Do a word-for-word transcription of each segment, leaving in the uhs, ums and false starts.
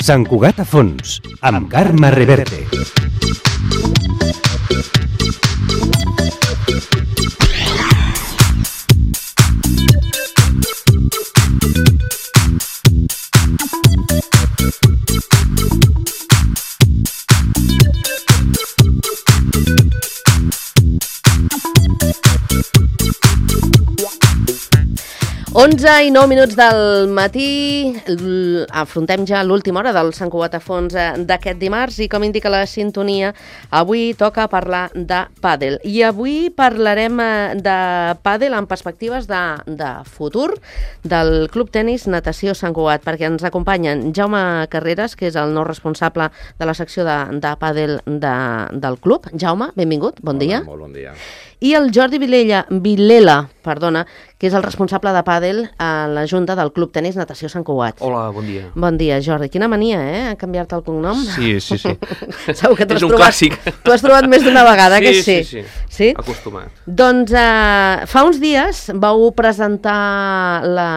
Sant Cugat a fons, amb Carme Reverte. onze i nou minuts del matí, afrontem ja l'última hora del Sant Cugat a fons d'aquest dimarts i com indica la sintonia, avui toca parlar de pàdel. I avui parlarem de pàdel amb perspectives de, de futur del Club Tenis Natació Sant Cugat, perquè ens acompanyen Jaume Carreras, que és el nou responsable de la secció de, de pàdel de, del club. Jaume, benvingut, bon dia. Molt bon dia. I el Jordi Vilella, Vilela, perdona, que és el responsable de pàdel a la Junta del Club Tenis Natació Sant Cugat. Hola, bon dia. Bon dia, Jordi. Quina mania, eh?, a canviar-te el cognom. Sí, sí, sí. Segur que és un trobat, clàssic. T'ho has trobat més d'una vegada, sí, que sí? Sí, sí, sí. Acostumat. Doncs uh, fa uns dies vau presentar la,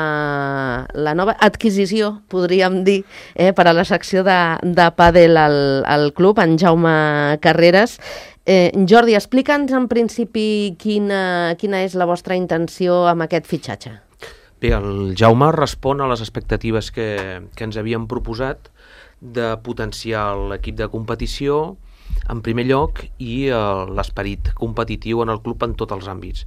la nova adquisició, podríem dir, eh, per a la secció de, de pàdel al, al club, en Jaume Carreras. Eh, Jordi, explica'ns en principi quina, quina és la vostra intenció amb aquest fitxatge. Bé, el Jaume respon a les expectatives que, que ens havíem proposat de potenciar l'equip de competició en primer lloc i eh, l'esperit competitiu en el club en tots els àmbits.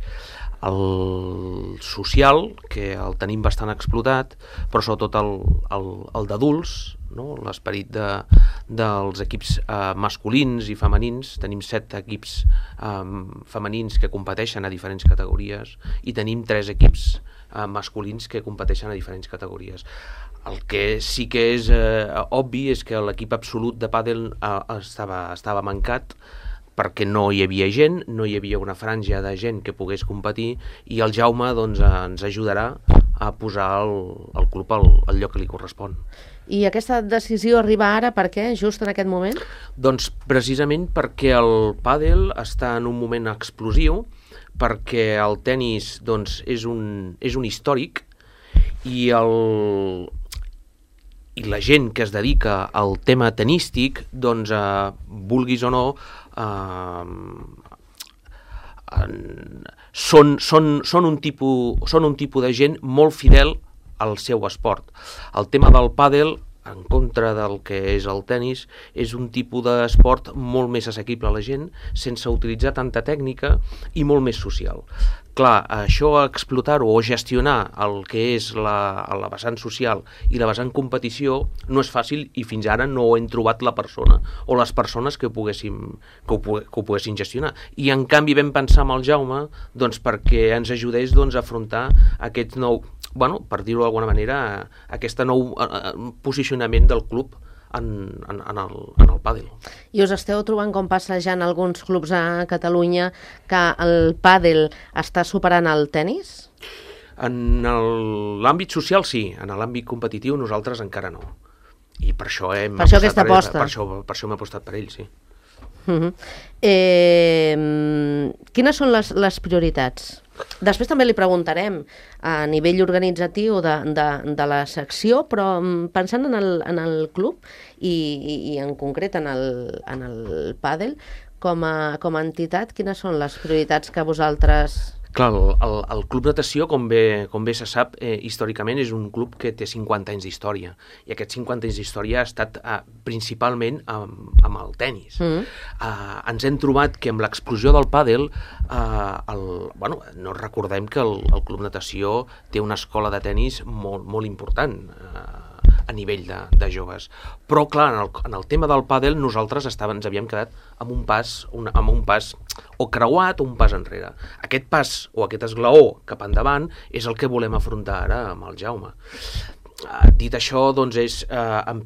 El social, que el tenim bastant explotat, però sobretot el, el, el d'adults, no? L'esperit de, dels equips eh, masculins i femenins. Tenim set equips eh, femenins que competeixen a diferents categories i tenim tres equips eh, masculins que competeixen a diferents categories. El que sí que és eh, obvi és que l'equip absolut de pàdel eh, estava, estava mancat, perquè no hi havia gent, no hi havia una franja de gent que pogués competir i el Jaume doncs, ens ajudarà a posar el, el club al, al lloc que li correspon. I aquesta decisió arriba ara per què, just en aquest moment? Doncs precisament perquè el pàdel està en un moment explosiu, perquè el tenis doncs, és, un, és un històric i, el, i la gent que es dedica al tema tenístic, doncs, eh, vulguis o no, Uh, són, són, són, un tipus, són un tipus de gent molt fidel al seu esport. El tema del pàdel, en contra del que és el tenis, és un tipus d'esport molt més assequible a la gent, sense utilitzar tanta tècnica i molt més social. Clar, això a explotar-ho o gestionar el que és la, la vessant social i la vessant competició no és fàcil i fins ara no hem trobat la persona o les persones que ho poguessin, que ho, que ho poguessin gestionar. I en canvi vam pensar amb el Jaume doncs, perquè ens ajudés doncs, a afrontar aquest nou, bueno, per dir-ho d'alguna manera, aquest nou uh, posicionament del club en, en, en, el, en el pàdel. I us esteu trobant, com passa ja en alguns clubs a Catalunya, que el pàdel està superant el tenis? En l'àmbit social sí, en l'àmbit competitiu nosaltres encara no. I per això hem per això apostat aquesta per ell, aposta. per això, per això hem apostat per ell, sí. Uh-huh. eh, quines són les, les prioritats? Després també li preguntarem a nivell organitzatiu de, de, de la secció, però pensant en el, en el club i, i, i en concret en el, en el pàdel, com a, com a entitat, quines són les prioritats que vosaltres... Clar, el, el, el Club Natació, com bé, com bé se sap, eh, històricament és un club que té cinquanta anys d'història, i aquests cinquanta anys d'història ha estat eh, principalment amb, amb el tenis. Mm. Eh, ens hem trobat que amb l'explosió del pàdel, eh, el, bueno, no recordem que el, el Club Natació té una escola de tenis molt, molt important, eh, a nivell de, de joves. Però, clar, en el, en el tema del pàdel nosaltres estava, ens havíem quedat amb un pas, una, amb un pas o creuat o un pas enrere. Aquest pas o aquest esglaó cap endavant és el que volem afrontar ara amb el Jaume. Uh, dit això, doncs, és, uh, en,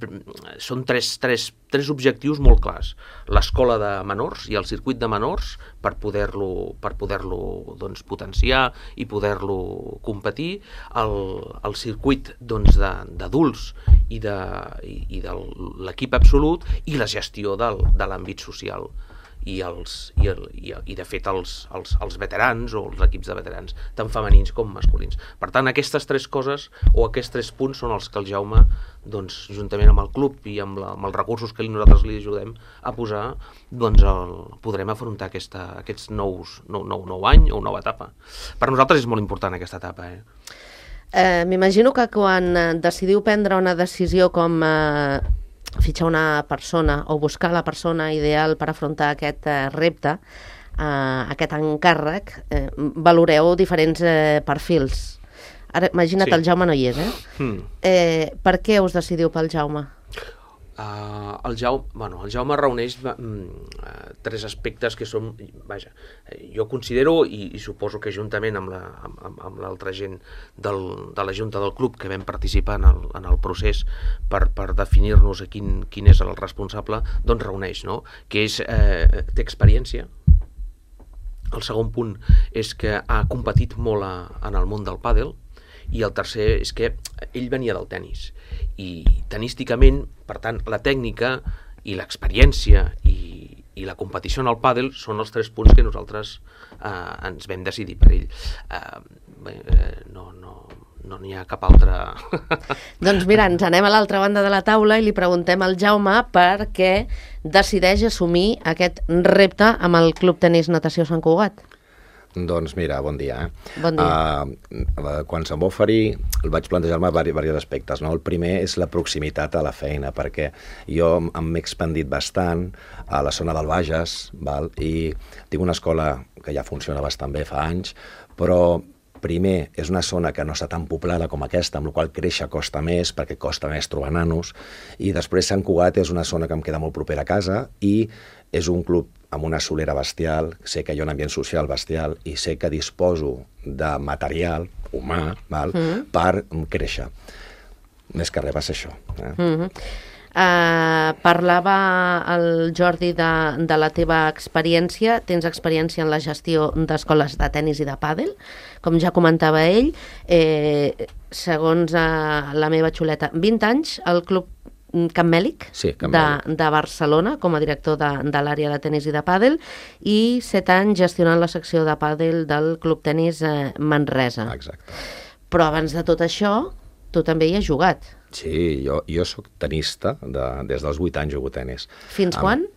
són tres, tres, tres objectius molt clars. L'escola de menors i el circuit de menors per poder-lo per poder-lo doncs, potenciar i poder-lo competir, el, el circuit doncs, d'adults i de, i, i de l'equip absolut i la gestió del, de l'àmbit social. i, els, i, el, i, i de fet els, els, els veterans o els equips de veterans, tant femenins com masculins. Per tant, aquestes tres coses o aquests tres punts són els que el Jaume, doncs, juntament amb el club i amb, la, amb els recursos que nosaltres li ajudem a posar, doncs el, podrem afrontar aquesta, aquests nous, nou, nou, nou any o nova etapa. Per nosaltres és molt important aquesta etapa. Eh? Eh, M'imagino que quan decidiu prendre una decisió com eh, fitxar una persona o buscar la persona ideal per afrontar aquest eh, repte, eh, aquest encàrrec, eh, valoreu diferents eh, perfils. Ara, imagina't, sí. El Jaume no hi és, eh? Mm. eh? Per què us decidiu pel Jaume? Uh, el, Jaume bueno, el Jaume reuneix uh, tres aspectes que són, vaja, jo considero, i, i suposo que juntament amb la, amb, amb l'altra gent del, de la Junta del Club que vam participar en el, en el procés per, per definir-nos quin, quin és el responsable, doncs reuneix, no? Que és, eh, té experiència. El segon punt és que ha competit molt a, en el món del pàdel, i el tercer és que ell venia del tennis i tenísticament, per tant, la tècnica i l'experiència i, i la competició en el pàdel són els tres punts que nosaltres eh, ens vam decidir per ell. Eh, eh, no, no, no n'hi ha cap altre... Doncs mira, ens anem a l'altra banda de la taula i li preguntem al Jaume per què decideix assumir aquest repte amb el Club Tenis Natació Sant Cugat. Doncs mira, bon dia. Eh? Bon dia. Uh, quan se'm va oferir, vaig plantejar-me diversos aspectes. No? El primer és la proximitat a la feina, perquè jo m'he expandit bastant a la zona del Bages, val? I tinc una escola que ja funciona bastant bé fa anys, però primer, és una zona que no està tan poblada com aquesta, amb la qual créixer costa més, perquè costa més trobar nanos, i després Sant Cugat és una zona que em queda molt propera a casa, i és un club amb una solera bestial, sé que hi ha un ambient social bestial, i sé que disposo de material humà, val, mm. per créixer. Més que res va ser això. Eh? Mm -hmm. Uh, parlava el Jordi de, de la teva experiència. Tens experiència en la gestió d'escoles de tennis i de pàdel, com ja comentava ell. Eh, segons uh, la meva xuleta, vint anys al club Camp Mèlic, sí, Camp de, Mèlic, de Barcelona, com a director de, de l'àrea de tenis i de pàdel, i set anys gestionant la secció de pàdel del Club Tenis eh, Manresa. Exacte. Però abans de tot això, tu també hi has jugat. Sí, jo, jo soc tenista, de, des dels vuit anys jugo tenis. Fins Am, quan?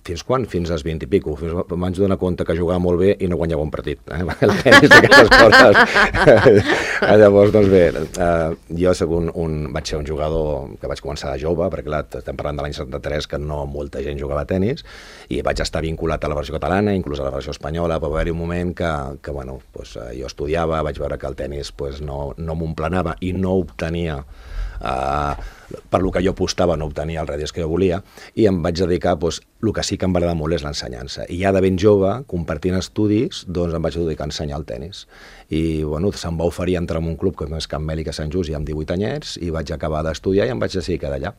Fins quan? Fins als vint i pico. Fins, em vaig donar compte que jugava molt bé i no guanyava un partit. Eh? El tenis d'aquestes coses. Llavors, doncs bé, eh, jo soc un, un, vaig ser un jugador que vaig començar de jove, perquè clar, estem parlant de l'any setanta-tres, que no molta gent jugava a tenis, i vaig estar vinculat a la versió catalana, inclús a la versió espanyola, però va haver-hi un moment que, que bueno, doncs, jo estudiava, vaig veure que el tenis pues, no, no m'emplenava i no obtenia Uh, per lo que jo apostava, no obtenia els rèdits que jo volia, i em vaig dedicar, doncs, el que sí que em va agradar molt és l'ensenyança. I ja de ben jove, compartint estudis, doncs em vaig dedicar a ensenyar el tenis. I, bueno, se'm va oferir entrar en un club com és Camp Mèlic a Sant Just, ja amb divuit anyets, i vaig acabar d'estudiar i em vaig decidir quedar allà.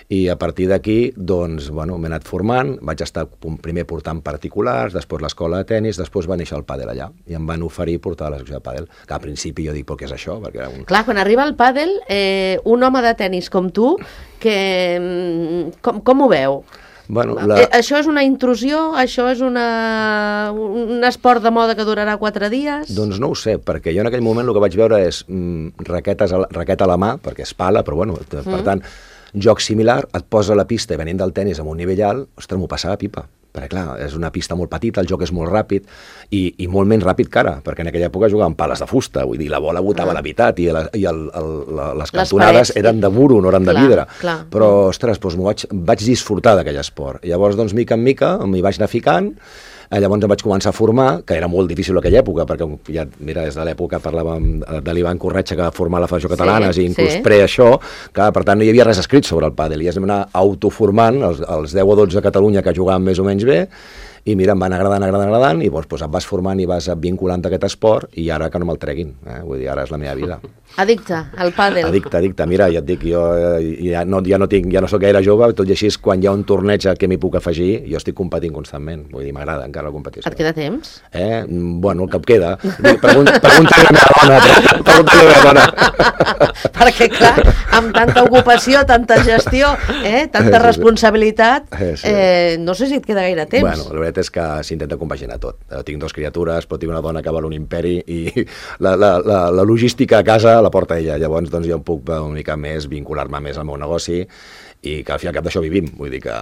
I a partir d'aquí, doncs, bueno, m'he anat formant, vaig estar primer portant particulars, després l'escola de tenis, després va néixer el pàdel allà, i em van oferir portar a la secció de pàdel, que al principi jo dic, però què és això? Perquè era un... Clar, quan arriba el pàdel, eh, un home de tenis com tu, que, com, com ho veu? Bueno, la... eh, això és una intrusió? Això és una, un esport de moda que durarà quatre dies? Doncs no ho sé, perquè jo en aquell moment el que vaig veure és mm, raquetes a la, raqueta a la mà, perquè és pala, però bueno, per mm. tant, joc similar, et posa a la pista i venint del tenis amb un nivell alt, ostres, m'ho passava pipa. Perquè, clar, és una pista molt petita, el joc és molt ràpid i, i molt menys ràpid que ara, perquè en aquella època jugaven pales de fusta, vull dir, la bola botava ah. la meitat i, la, i el, el, la, les cantonades parets, eren de muro, no eren clar, de vidre. Clar. Però, ostres, doncs, vaig, vaig disfrutar d'aquell esport. Llavors, doncs, mica en mica, m'hi vaig anar ficant. Llavors em vaig començar a formar, que era molt difícil en aquella època, perquè ja, mira, des de l'època parlàvem de l'Ivan Corretxa, que va formar la Federació Catalana, sí, i inclús sí. pre això, que per tant no hi havia res escrit sobre el pàdel, i ja es vam anar autoformant, els, els deu o dotze a Catalunya que jugaven més o menys bé, i mira, em van agradant, agradant, agradant, i doncs, doncs et vas formant i vas vinculant a aquest esport, i ara que no me'l treguin, eh? Vull dir, ara és la meva vida. Addicte al pàdel. Addicte, addicte. Mira, ja et dic, jo ja no, ja no, tinc, ja no soc gaire jove, tot i així, quan hi ha un torneig que m'hi puc afegir, jo estic competint constantment. Vull dir, m'agrada encara la competició. Et queda temps? Eh? Bueno, el que em queda. Pregunta, pregunta-li a la meva dona. Pregunta-li a la meva dona. Perquè, clar, amb tanta ocupació, tanta gestió, eh? tanta responsabilitat, eh, no sé si et queda gaire temps. Bueno, la veritat veritat és que s'intenta compaginar tot. Tinc dues criatures, però tinc una dona que val un imperi i la, la, la, la logística a casa la porta ella. Llavors doncs, jo em puc una mica més vincular-me més al meu negoci i que al fi i al cap d'això vivim. Vull dir que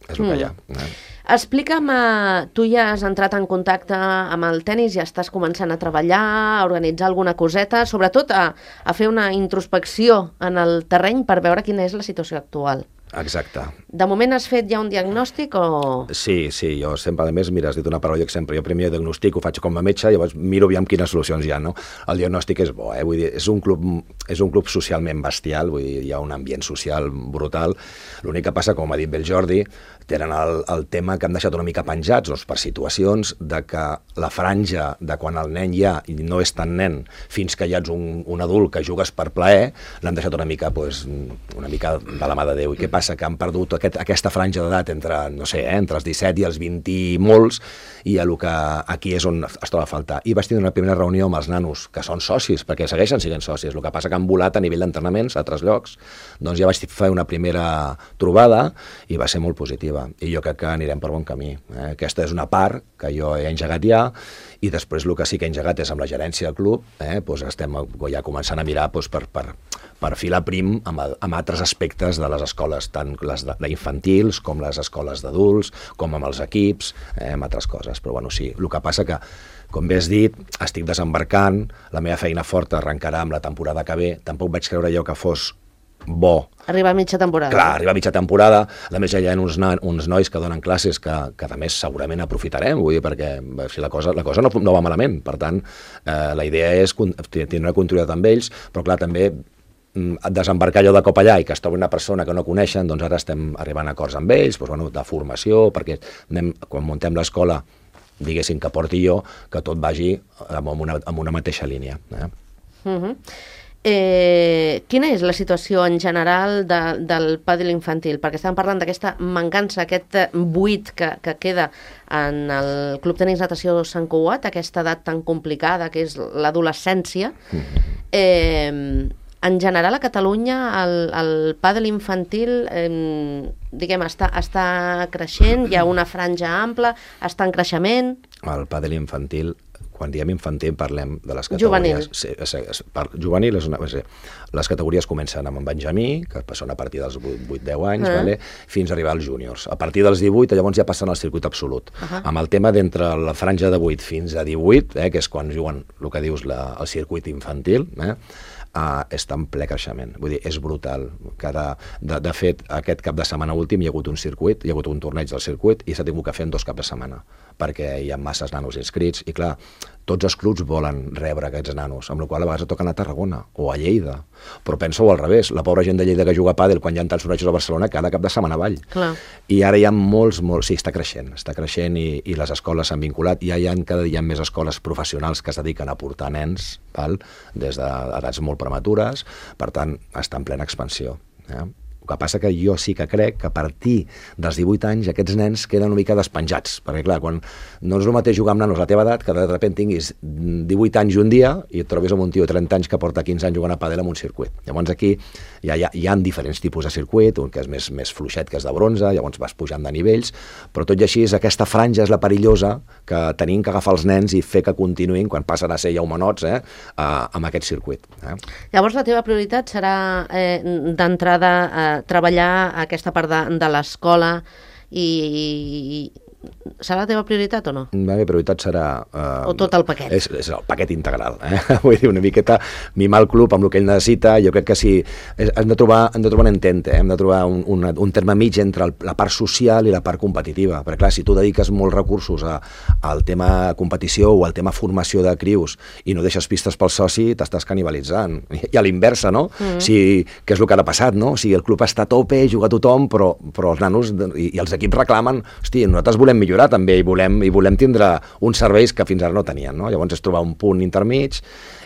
és el mm. que hi ha. Eh? Explica'm, uh, tu ja has entrat en contacte amb el tennis, ja estàs començant a treballar, a organitzar alguna coseta, sobretot a, a fer una introspecció en el terreny per veure quina és la situació actual. Exacte. De moment has fet ja un diagnòstic o...? Sí, sí, jo sempre, a més, mira, has dit una paraula que sempre, jo primer diagnostic ho faig com a metge, llavors miro aviam quines solucions hi ha, no? El diagnòstic és bo, eh? Vull dir, és un club, és un club socialment bestial, vull dir, hi ha un ambient social brutal. L'únic que passa, com ha dit bé el Jordi, tenen el, el tema que han deixat una mica penjats, doncs, per situacions de que la franja de quan el nen hi ha i no és tan nen fins que ja ets un, un adult que jugues per plaer, l'han deixat una mica, pues, una mica de la mà de Déu. I què passa? Que han perdut aquest, aquesta franja d'edat entre, no sé, eh, entre els disset i els vint i molts, i el que aquí és on es troba a faltar. I vaig tenir una primera reunió amb els nanos, que són socis, perquè segueixen sent socis. El que passa que han volat a nivell d'entrenaments a altres llocs. Doncs ja vaig fer una primera trobada i va ser molt positiva. I jo crec que anirem per bon camí. Eh? Aquesta és una part que jo he engegat ja, i després el que sí que he engegat és amb la gerència del club, eh? Doncs estem ja començant a mirar doncs, per, per, per filar prim amb, amb altres aspectes de les escoles, tant les d'infantils com les escoles d'adults, com amb els equips, eh? Amb altres coses. Però bueno, sí, el que passa que, com bé has dit, estic desembarcant, la meva feina forta arrencarà amb la temporada que ve, tampoc vaig creure jo que fos bo. Arriba a mitja temporada. Clar, arriba a mitja temporada. A més, ja hi ha uns, uns nois que donen classes que, que a més segurament aprofitarem, vull dir, perquè si la cosa, la cosa no, no va malament. Per tant, eh, la idea és tenir una continuïtat amb ells, però clar, també desembarcar allò de cop allà i que es trobi una persona que no coneixen, doncs ara estem arribant a acords amb ells, doncs, bueno, de formació, perquè anem, quan muntem l'escola, diguéssim que porti jo, que tot vagi amb una, amb una mateixa línia. Eh? Uh-huh. Eh, quina és la situació en general de, del pàdel infantil? Perquè estàvem parlant d'aquesta mancança, aquest buit que, que queda en el Club Tenis Natació Sant Cugat, aquesta edat tan complicada que és l'adolescència. Eh, en general a Catalunya el, el pàdel infantil eh, diguem, està, està creixent, hi ha una franja ampla, està en creixement. El pàdel infantil, quan diem infantil parlem de les categories... Juvenil. Sí, és, és, per, juvenil és una... És, les categories comencen amb en Benjamí, que són a partir dels vuit deu anys, uh-huh. vale? Fins a arribar als júniors. A partir dels divuit, llavors ja passen al circuit absolut. Uh-huh. Amb el tema d'entre la franja de vuit fins a divuit, eh, que és quan juguen el que dius la, el circuit infantil, eh, Uh, està en ple creixement, vull dir, és brutal. Cada, de, de fet, aquest cap de setmana últim hi ha hagut un circuit, hi ha hagut un torneig del circuit i s'ha tingut que fer en dos caps de setmana, perquè hi ha masses nanos inscrits i clar, tots els clubs volen rebre aquests nanos, amb la qual cosa a vegades toquen a Tarragona o a Lleida, però pensa-ho al revés, la pobra gent de Lleida que juga a pàdel quan hi ha tants tornejos a Barcelona cada cap de setmana avall. Clar. I ara hi ha molts, molts, sí, està creixent, està creixent i, i les escoles s'han vinculat, ja hi ha cada dia més escoles professionals que es dediquen a portar nens, val? Des d'edats molt prematures, per tant, està en plena expansió. Eh? El que passa que jo sí que crec que a partir dels divuit anys aquests nens queden una mica despenjats, perquè clar, quan no és el mateix jugar amb nanos a la teva edat que de sobte tinguis divuit anys un dia i et trobis amb un tio de trenta anys que porta quinze anys jugant a pàdel en un circuit. Llavors aquí ja hi ha, hi ha diferents tipus de circuit, un que és més, més fluixet, que és de bronze, llavors vas pujant de nivells, però tot i així aquesta franja és la perillosa que tenim que agafar els nens i fer que continuïn quan passen a ser ja humanots eh, amb aquest circuit. Eh? Llavors la teva prioritat serà eh, d'entrada eh, treballar aquesta part de, de l'escola i, i serà la teva prioritat o no? La meva prioritat serà... Eh, o tot el paquet? És, és el paquet integral. Eh? Vull dir, una miqueta mimar el club amb el que ell necessita. Jo crec que sí, hem de trobar, hem de trobar un entente, eh? Hem de trobar un, un, un terme mig entre el, la part social i la part competitiva. Perquè clar, si tu dediques molts recursos a, al tema competició o al tema formació de crius i no deixes pistes pel soci, t'estàs canibalitzant. I a l'inversa, no? Mm-hmm. Si, què és el que ha passat, no? O sigui, el club està a tope, juga tothom, però, però els nanos i, i els equips reclamen, hosti, nosaltres volem millorar també i volem, i volem tindre uns serveis que fins ara no tenien, no? Llavors és trobar un punt intermig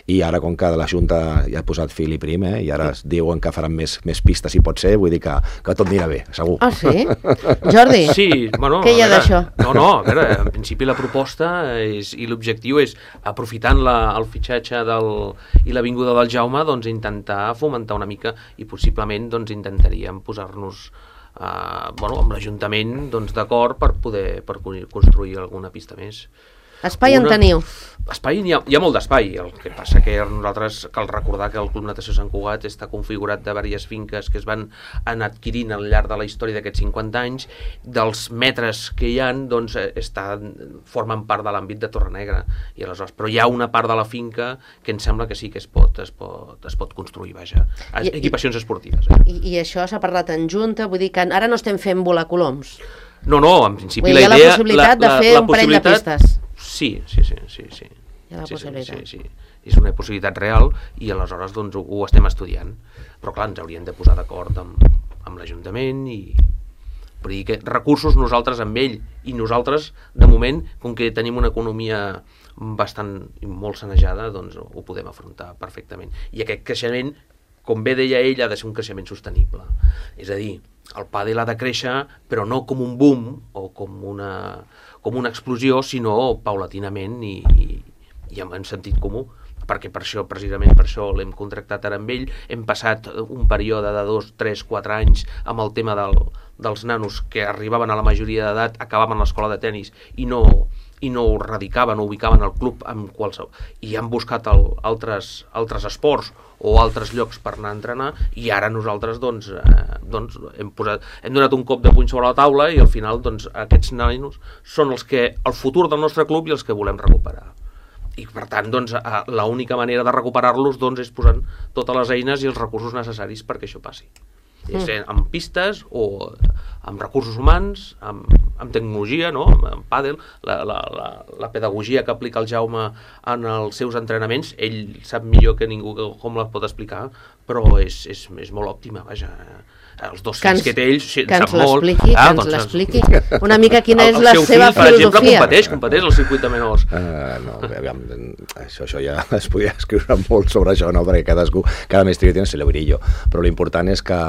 i ara com que la Junta ja ha posat fil i prim eh, i ara es diuen que faran més, més pistes si pot ser, vull dir que, que tot anirà bé, segur. Ah, sí? Jordi, sí, bueno, què hi ha d'això? No, no, a veure, en principi la proposta és, i l'objectiu és, aprofitant la, el fitxatge del, i la vinguda del Jaume, doncs intentar fomentar una mica i possiblement doncs intentaríem posar-nos uh, bueno, amb l'Ajuntament doncs, d'acord per poder per construir alguna pista més. Espai en teniu? Espai, hi ha, hi ha molt d'espai, el que passa que nosaltres cal recordar que el Club Natació Sant Cugat està configurat de diverses finques que es van anar adquirint al llarg de la història d'aquests cinquanta anys, dels metres que hi ha, doncs, està, formen part de l'àmbit de Torrenegra, i aleshores, però hi ha una part de la finca que em sembla que sí que es pot, es pot, es pot construir, vaja, I, equipacions esportives. Eh? I, I això s'ha parlat en junta, vull dir que ara no estem fent volar coloms. No, no, en principi la idea... Hi ha la possibilitat la, la, de fer un parell de pistes. Sí, sí, sí, sí, sí. Hi ha la sí, possibilitat. Sí, sí, sí. És una possibilitat real i aleshores doncs, ho, ho estem estudiant. Però clar, ens hauríem de posar d'acord amb, amb l'Ajuntament i... Per dir que recursos nosaltres amb ell i nosaltres, de moment, com que tenim una economia bastant molt sanejada, doncs ho podem afrontar perfectament. I aquest creixement, com bé deia ell, ha de ser un creixement sostenible. És a dir, el pàdel ha de créixer, però no com un boom o com una... com una explosió, sinó paulatinament i, i, i en sentit comú, perquè per això, precisament per això l'hem contractat ara amb ell, hem passat un període de dos, tres, quatre anys amb el tema del, dels nanos que arribaven a la majoria d'edat, acabaven l'escola de tennis i no, i no radicaven o ubicaven el club amb qualsevol, i han buscat el, altres, altres esports o altres llocs per anar a entrenar, i ara nosaltres doncs, eh, doncs hem, posat, hem donat un cop de puny sobre la taula i al final doncs, aquests nanos són els que, el futur del nostre club i els que volem recuperar. I per tant, doncs, l'única manera de recuperar-los doncs, és posant totes les eines i els recursos necessaris perquè això passi. Mm. És amb pistes o amb recursos humans, amb, amb tecnologia, no? amb, amb pàdel, la, la, la, la pedagogia que aplica el Jaume en els seus entrenaments, ell sap millor que ningú com la pot explicar, però és, és, és molt òptima, vaja. Els dos fills que té ell sí, que ens molt. l'expliqui, ah, que ens doncs, l'expliqui una mica quina és el, la el seva fill, filosofia. Per exemple, competeix, competeix al circuit de menors. Uh, no, aviam, això, això ja es podria escriure molt sobre això, no? Perquè cadascú, cada mestre tiene su librillo, però l'important és que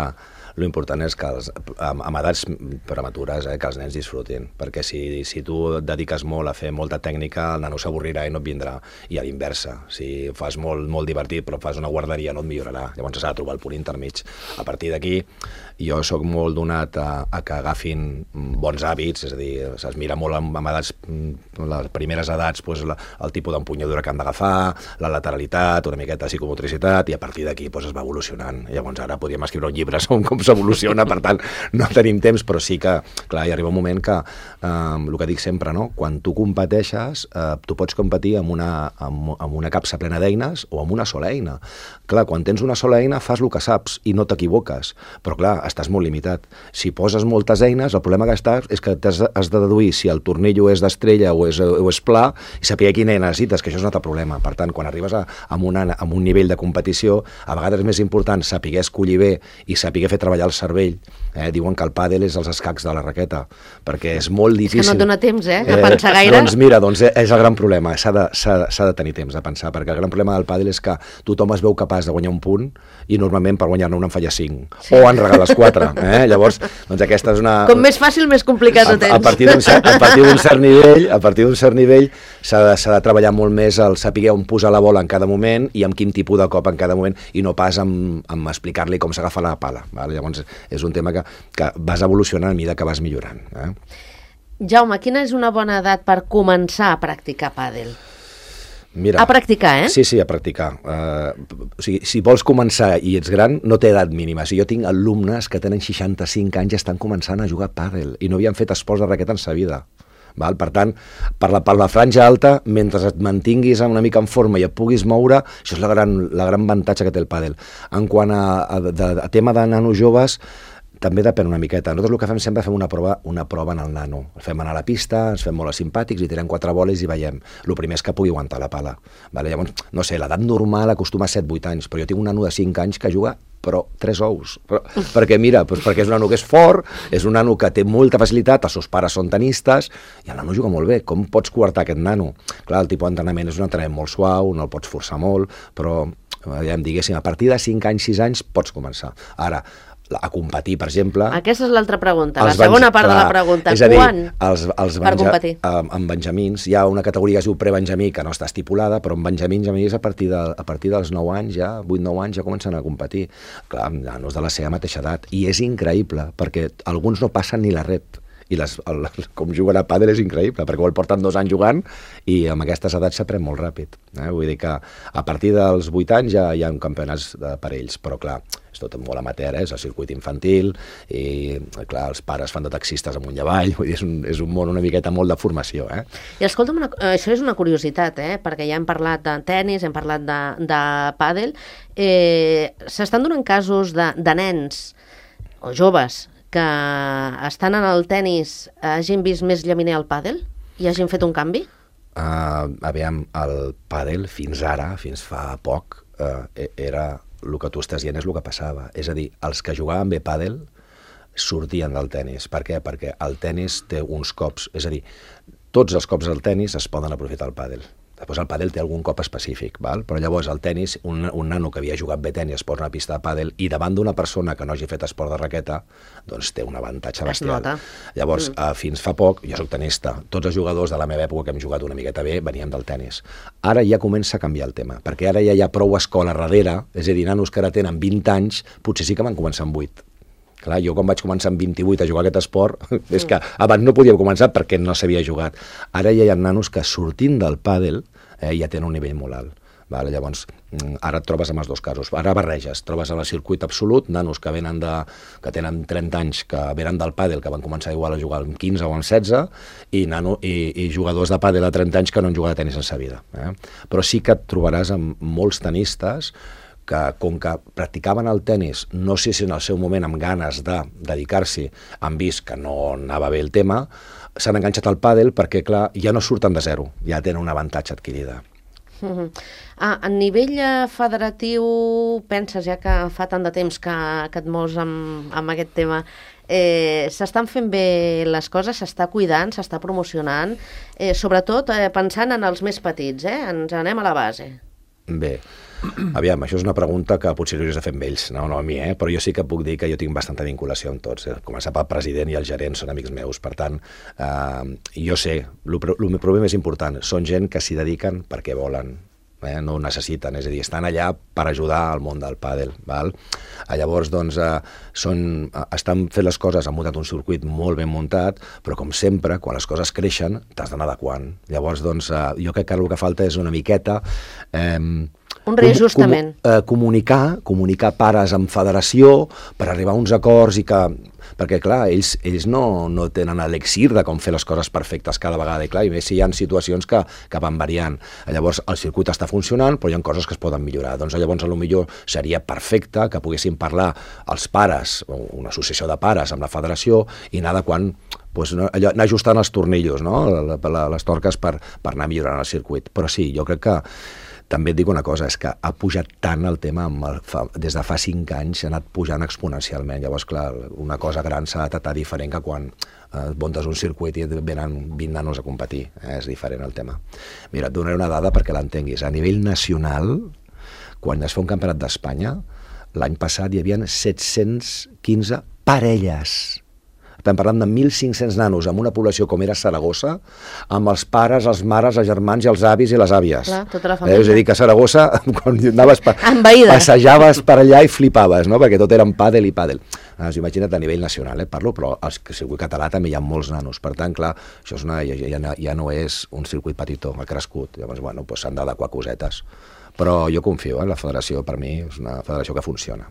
l'important és que els, amb, amb edats prematures eh, que els nens disfrutin, perquè si, si tu et dediques molt a fer molta tècnica, el nano s'avorrirà i no et vindrà, i a l'inversa, si fas molt, molt divertit però fas una guarderia no et millorarà, llavors s'ha de trobar el punt intermig. A partir d'aquí jo sóc molt donat a, a que agafin bons hàbits, és a dir, es mira molt amb, amb edats, les primeres edats, doncs, la, el tipus d'empunyadura que han d'agafar, la lateralitat, una miqueta de psicomotricitat, i a partir d'aquí doncs, es va evolucionant. Llavors ara podríem escriure un llibre sobre com s'evoluciona, per tant no tenim temps, però sí que, clar, hi arriba un moment que, eh, el que dic sempre, no? Quan tu competeixes, eh, tu pots competir amb una, amb, amb una capsa plena d'eines o amb una sola eina. Clar, quan tens una sola eina fas el que saps i no t'equivoques, però clar, estàs molt limitat. Si poses moltes eines, el problema que estàs és que has, has de deduir si el tornillo és d'estrella o és, o és pla i saber quina eina necessites, que això és un altre problema. Per tant, quan arribes a, a, una, a un nivell de competició, a vegades és més important saber escollir bé i saber fer treballar el cervell. Eh? Diuen que el pàdel és els escacs de la raqueta, perquè és molt difícil. És que no et dona temps, eh, de pensar gaire. Eh, doncs mira, doncs és el gran problema, s'ha de, de tenir temps de pensar, perquè el gran problema del pàdel és que tothom es veu capaç de guanyar un punt i normalment per guanyar-ne un en falla cinc, sí. O en regales quatre. Eh? Llavors, doncs aquesta és una... Com més fàcil, més complicat ho tens. A, a partir d'un cert, a partir d'un cert nivell, a partir d'un cert nivell s'ha de, s'ha de treballar molt més el saber on posar la bola en cada moment i amb quin tipus de cop en cada moment, i no pas amb, amb explicar-li com s'agafa la pala. Vale? Llavors, és un tema que, que vas evolucionant a mesura que vas millorant. Eh? Jaume, quina és una bona edat per començar a practicar pàdel? Mira, a practicar, eh? Sí, sí, a practicar. Uh, o sigui, si vols començar i ets gran, no té edat mínima. Si jo tinc alumnes que tenen seixanta-cinc anys i estan començant a jugar a pàdel i no havien fet esports de raqueta en sa vida. Val? Per tant, per la, per la franja alta, mentre et mantinguis una mica en forma i et puguis moure, això és la gran, la gran avantatge que té el pàdel. En quant a, a, a, a tema de nanos joves, també depèn una miqueta. Nosaltres el que fem sempre fem una prova, una prova en el nano. El fem anar a la pista, ens fem molt simpàtics i tirem quatre boles i veiem. El primer és que pugui aguantar la pala. Vale? Llavors, no sé, l'edat normal acostuma a set vuit anys, però jo tinc un nano de cinc anys que juga però tres ous. Però, perquè mira, doncs perquè és un nano que és fort, és un nano que té molta facilitat, els seus pares són tenistes, i el nano juga molt bé. Com pots coartar aquest nano? Clar, el tipus d'entrenament és un entrenament molt suau, no el pots forçar molt, però ja em diguéssim, a partir de cinc anys, sis anys pots començar. Ara, a competir, per exemple... Aquesta és l'altra pregunta, la els segona benja- part de la clar, pregunta. és a dir, Quan els, els per benja- competir? amb, amb benjamins, hi ha una categoria que es diu prebenjamí, que no està estipulada, però amb benjamins, a a partir, de, a partir dels nou anys, ja, vuit nou anys, ja comencen a competir. Clar, amb nanos de la seva mateixa edat. I és increïble, perquè alguns no passen ni la ret. I les, el, com juguen a pàdel és increïble, perquè el porten dos anys jugant i amb aquestes edats s'aprèn molt ràpid. Eh? Vull dir que a partir dels vuit anys ja hi ha campionats de, per ells, però clar, és tot molt amateur, eh? És el circuit infantil i clar, els pares fan de taxistes amunt i avall, vull dir, és un, és un món una miqueta molt de formació. Eh? I escolta'm, una, això és una curiositat, eh? Perquè ja hem parlat de tennis, hem parlat de, de pàdel. Eh, S'estan donant casos de, de nens o joves que estan en el tennis hagin vist més llaminer al pàdel i hagin fet un canvi? Uh, aviam, el pàdel fins ara, fins fa poc, uh, era el que tu estàs dient és el que passava. És a dir, els que jugaven bé pàdel sortien del tennis. Per què? Perquè el tennis té uns cops, és a dir, tots els cops del tennis es poden aprofitar al pàdel. Després el pàdel té algun cop específic, val? Però llavors el tennis, un, un nano que havia jugat bé tenis es posa una pista de pàdel i davant d'una persona que no hagi fet esport de raqueta, doncs té un avantatge bestial. Llavors, mm. eh, fins fa poc, jo soc tenista, tots els jugadors de la meva època que hem jugat una miqueta bé veníem del tennis. Ara ja comença a canviar el tema, perquè ara ja hi ha prou escola darrere, és a dir, nanos que ara tenen vint anys, potser sí que van començar amb vuit. Clar, jo quan vaig començar amb vint-i-vuit a jugar aquest esport, és que abans no podíem començar perquè no s'havia jugat. Ara ja hi ha nanos que sortint del pàdel eh, ja tenen un nivell molt alt. Vale? Llavors, ara et trobes amb els dos casos. Ara barreges, trobes en el circuit absolut nanos que venen de, que tenen trenta anys, que venen del pàdel, que van començar igual a jugar amb quinze o amb setze, i, nano, i, i jugadors de pàdel a trenta anys que no han jugat a tenis en sa vida. Eh? Però sí que et trobaràs amb molts tenistes que com que practicaven el tennis, no sé si en el seu moment amb ganes de dedicar-s'hi, han vist que no anava bé el tema, s'han enganxat al pàdel perquè, clar, ja no surten de zero, ja tenen un avantatge adquirida. Uh-huh. Ah, a nivell federatiu, penses, ja que fa tant de temps que, que et mous amb, amb aquest tema, eh, s'estan fent bé les coses, s'està cuidant, s'està promocionant, eh, sobretot eh, pensant en els més petits, eh? Ens anem a la base. Bé, aviam, això és una pregunta que potser hauries de fer amb ells, no, no a mi, eh? Però jo sí que puc dir que jo tinc bastanta vinculació amb tots. Eh? Començar pel president i el gerent són amics meus, per tant, eh, jo sé, el problema més important, són gent que s'hi dediquen perquè volen, eh? No ho necessiten, és a dir, estan allà per ajudar al món del pàdel. Val? Llavors, doncs, eh, són, estan fent les coses, han muntat un circuit molt ben muntat, però com sempre, quan les coses creixen, t'has d'anar adequant. Llavors, doncs, eh, jo crec que el que falta és una miqueta... Eh, un reajustament. Com, com, eh, comunicar, comunicar pares amb federació per arribar a uns acords i que... Perquè, clar, ells, ells no, no tenen l'elixir de com fer les coses perfectes cada vegada, i clar, i més si hi ha situacions que, que van variant. Llavors, el circuit està funcionant, però hi ha coses que es poden millorar. Doncs llavors, potser seria perfecte que poguessin parlar els pares, o una associació de pares amb la federació, i anar adequant, doncs, allò, anar ajustant els tornillos, no? les torques per, per anar millorant el circuit. Però sí, jo crec que també et dic una cosa, és que ha pujat tant el tema, amb el, fa, des de fa cinc anys ha anat pujant exponencialment. Llavors, clar, una cosa gran s'ha de tratar diferent que quan eh, muntes un circuit i venen vint nanos a competir. Eh? És diferent el tema. Mira, et donaré una dada perquè l'entenguis. A nivell nacional, quan es fa un campionat d'Espanya, l'any passat hi havia set-cents quinze parelles. Estem parlant de mil cinc-cents nanos amb una població com era Saragossa, amb els pares, els mares, els germans i els avis i les àvies. Clar, tota la família. Eh, és a dir, que a Saragossa, quan anaves pa envaïda, passejaves per allà i flipaves, no? Perquè tot eren pàdel i pàdel. Ah, imagina't a nivell nacional, eh, parlo, però al circuit català també hi ha molts nanos. Per tant, clar, això és una, ja, ja, ja no és un circuit petitó, ha crescut. Llavors, bueno, doncs s'han d'adequar cosetes. Però jo confio, eh, la federació per mi és una federació que funciona.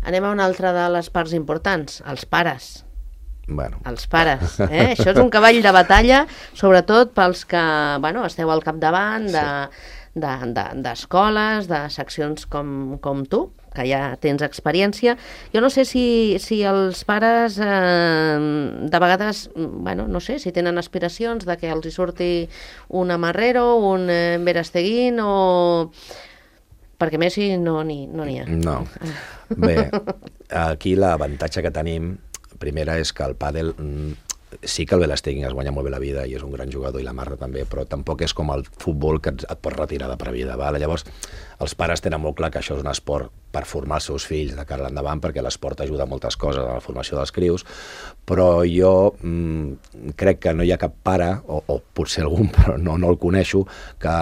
Anem a una altra de les parts importants, els pares. Bueno. Els pares, eh? Això és un cavall de batalla, sobretot pels que, bueno, esteu al capdavant de, de, de, d'escoles, de seccions com, com tu, que ja tens experiència. Jo no sé si, si els pares eh, de vegades, bueno, no sé, si tenen aspiracions de que els hi surti un Amarrero, un eh, Verasteguín o... Perquè Messi no n'hi no n'hi ha. No. Bé, aquí l'avantatge que tenim primera és que el pàdel sí que el Verasteguín es guanya molt bé la vida i és un gran jugador i la Marta també, però tampoc és com el futbol que et, et pot retirar de per vida. Val? Llavors, els pares tenen molt clar que això és un esport per formar els seus fills de cara endavant, perquè l'esport ajuda a moltes coses a la formació dels crios, però jo mm, crec que no hi ha cap pare, o, o potser algun, però no, no el coneixo, que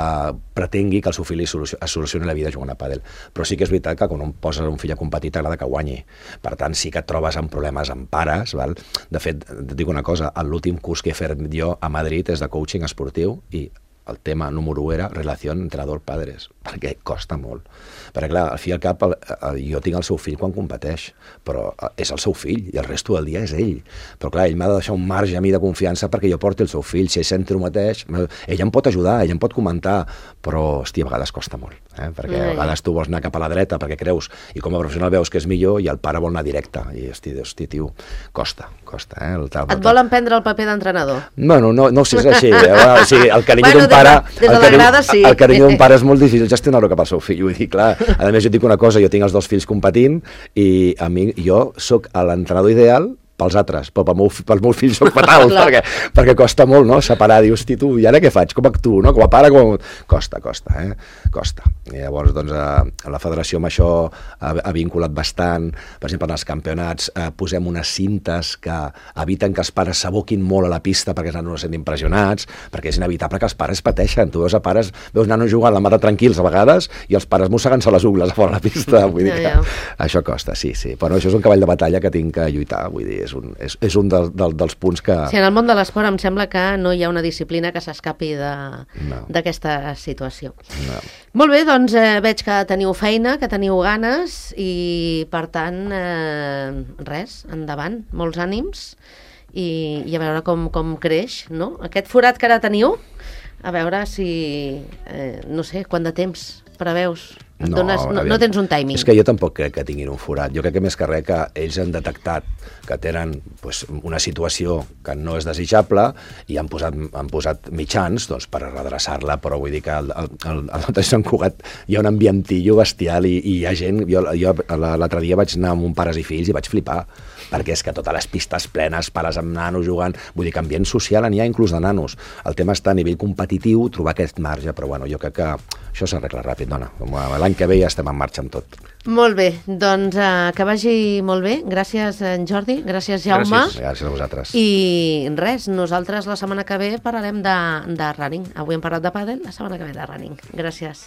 pretengui que el seu fill li solucioni, es solucioni la vida jugant a pàdel. Però sí que és veritat que quan un poses un fill a competir t'agrada que guanyi. Per tant, sí que et trobes amb problemes amb pares. Val? De fet, et dic una cosa, l'últim curs que he fet jo a Madrid és de coaching esportiu i el tema número u era relació entrenador-padres, perquè costa molt. Perquè, clar, al fi i al cap, el, el, jo tinc el seu fill quan competeix, però és el seu fill, i el resto del dia és ell. Però, clar, ell m'ha de deixar un marge a mi de confiança perquè jo porti el seu fill. Si ell sent el mateix, ell em pot ajudar, ell em pot comentar, però, hosti, a vegades costa molt, eh? Perquè a vegades tu vols anar cap a la dreta perquè creus, i com a professional veus que és millor, i el pare vol anar directe, i, hosti, hosti tio, costa, costa, eh? El, el, Et volen prendre el paper d'entrenador? Bueno, no, no sé si és així. O sigui, el carinyo bueno, d'un pare, des de el la carinyo, grada, sí. el carinyo d'un pare és molt difícil gestionar-ho cap al seu fill. Vull dir, clar, a més jo et dic una cosa, jo tinc els dos fills competint i a mi, jo sóc l'entrenador ideal pels altres, però pel meu, pel meu fill soc fatal, perquè, perquè costa molt, no?, separar, dius, hosti, tu, i ara què faig? Com actuo, no? Com a pare, com... Costa, costa, eh? Costa. I llavors, doncs, a la federació amb això ha, ha vinculat bastant, per exemple, en els campionats eh, posem unes cintes que eviten que els pares s'aboquin molt a la pista perquè els nanos no sent impressionats, perquè és inevitable que els pares pateixen. Tu veus a pares, veus nanos jugant la mata tranquils a vegades i els pares mossegant-se les ungles a fora de la pista, vull dir que ja, ja. Això costa, sí, sí. Però això és un cavall de batalla que tinc que lluitar, vull dir, és un, és, és un del, del, dels punts que... Sí, en el món de l'esport em sembla que no hi ha una disciplina que s'escapi d'aquesta no. situació. No. Molt bé, doncs eh, veig que teniu feina, que teniu ganes i, per tant, eh, res, endavant, molts ànims i, i a veure com, com creix, no? Aquest forat que ara teniu, a veure si, eh, no sé, quant de temps preveus? No, Dones, no, no tens un timing. És que jo tampoc crec que tinguin un forat. Jo crec que més que res que ells han detectat que tenen pues, una situació que no és desitjable i han posat, han posat mitjans doncs, per redreçar-la, però vull dir que al, al, al, al Sant Cugat hi ha un ambientillo bestial i, i hi ha gent... Jo, jo l'altre dia vaig anar amb un pares i fills i vaig flipar, perquè és que totes les pistes plenes, pares amb nanos jugant, vull dir que ambient social n'hi ha inclús de nanos. El tema està a nivell competitiu, trobar aquest marge, però bueno, jo crec que això s'arregla ràpid, dona. L'any que ve ja estem en marxa amb tot. Molt bé, doncs uh, que vagi molt bé. Gràcies, en Jordi. Gràcies, Jaume. Gràcies, gràcies a vosaltres. I res, nosaltres la setmana que ve parlarem de, de running. Avui hem parlat de pàdel, la setmana que ve de running. Gràcies.